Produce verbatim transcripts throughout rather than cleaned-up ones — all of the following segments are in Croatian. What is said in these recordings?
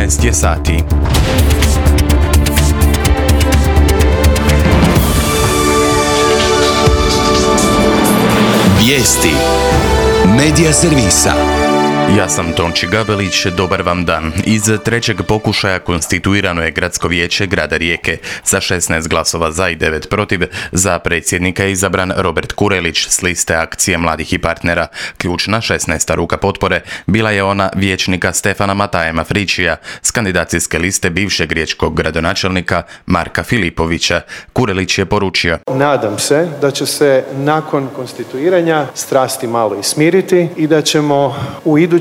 četrnaest je sati. Vijesti Medija servisa. Ja sam Tonči Gabelić, dobar vam dan. Iz trećeg pokušaja konstituirano je Gradsko vijeće grada Rijeke. Sa šesnaest glasova za i devet protiv, za predsjednika je izabran Robert Kurelić s liste Akcije mladih i partnera. Ključna šesnaesta ruka potpore bila je ona vijećnika Stefana Mataja Mafričija s kandidacijske liste bivšeg riječkog gradonačelnika Marka Filipovića. Kurelić je poručio: Nadam se da će se nakon konstituiranja strasti malo i smiriti i da ćemo u idućim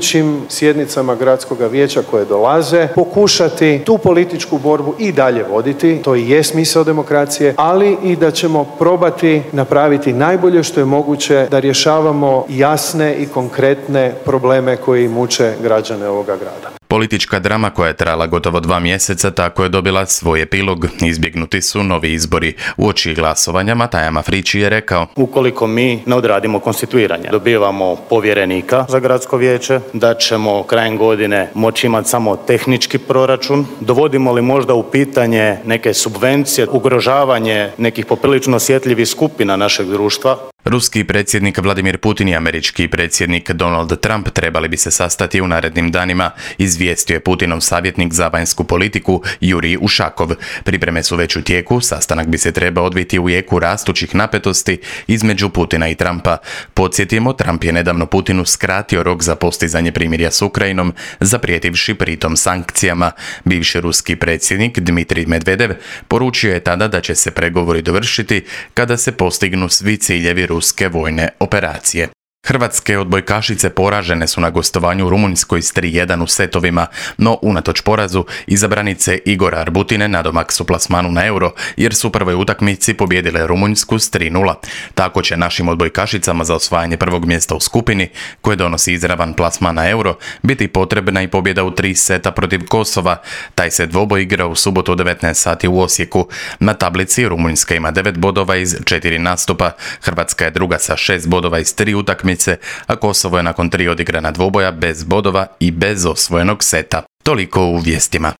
sjednicama Gradskog vijeća koje dolaze pokušati tu političku borbu i dalje voditi, to i je smisao demokracije, ali i da ćemo probati napraviti najbolje što je moguće da rješavamo jasne i konkretne probleme koji muče građane ovoga grada. Politička drama koja je trajala gotovo dva mjeseca tako je dobila svoj epilog. Izbjegnuti su novi izbori. Uoči glasovanja Mataja Mafriči je rekao: ukoliko mi ne odradimo konstituiranje, dobivamo povjerenika za gradsko vijeće, da ćemo krajem godine moći imati samo tehnički proračun, dovodimo li možda u pitanje neke subvencije, ugrožavanje nekih poprilično osjetljivih skupina našeg društva. Ruski predsjednik Vladimir Putin i američki predsjednik Donald Trump trebali bi se sastati u narednim danima, izvijestio je Putinov savjetnik za vanjsku politiku Jurij Ušakov. Pripreme su već u tijeku, sastanak bi se trebao odviti u jeku rastućih napetosti između Putina i Trumpa. Podsjetimo, Trump je nedavno Putinu skratio rok za postizanje primirja s Ukrajinom, zaprijetivši pritom sankcijama. Bivši ruski predsjednik Dmitrij Medvedev poručio je tada da će se pregovori dovršiti kada se postignu svi ciljevi ruske vojne operacije. Hrvatske odbojkašice poražene su na gostovanju u Rumunjskoj s tri jedan u setovima, no unatoč porazu izabranice Igora Arbutine nadomak su plasmanu na Euro, jer su u prvoj utakmici pobijedile Rumunjsku s tri nula. Tako će našim odbojkašicama za osvajanje prvog mjesta u skupini, koje donosi izravan plasman na Euro, biti potrebna i pobjeda u tri seta protiv Kosova. Taj se dvoboj igra u subotu u devetnaest sati u Osijeku. Na tablici Rumunjska ima devet bodova iz četiri nastupa, Hrvatska je druga sa šest bodova iz tri utakmice, a Kosovo je nakon tri odigrana dvoboja bez bodova i bez osvojenog seta. Toliko u vijestima.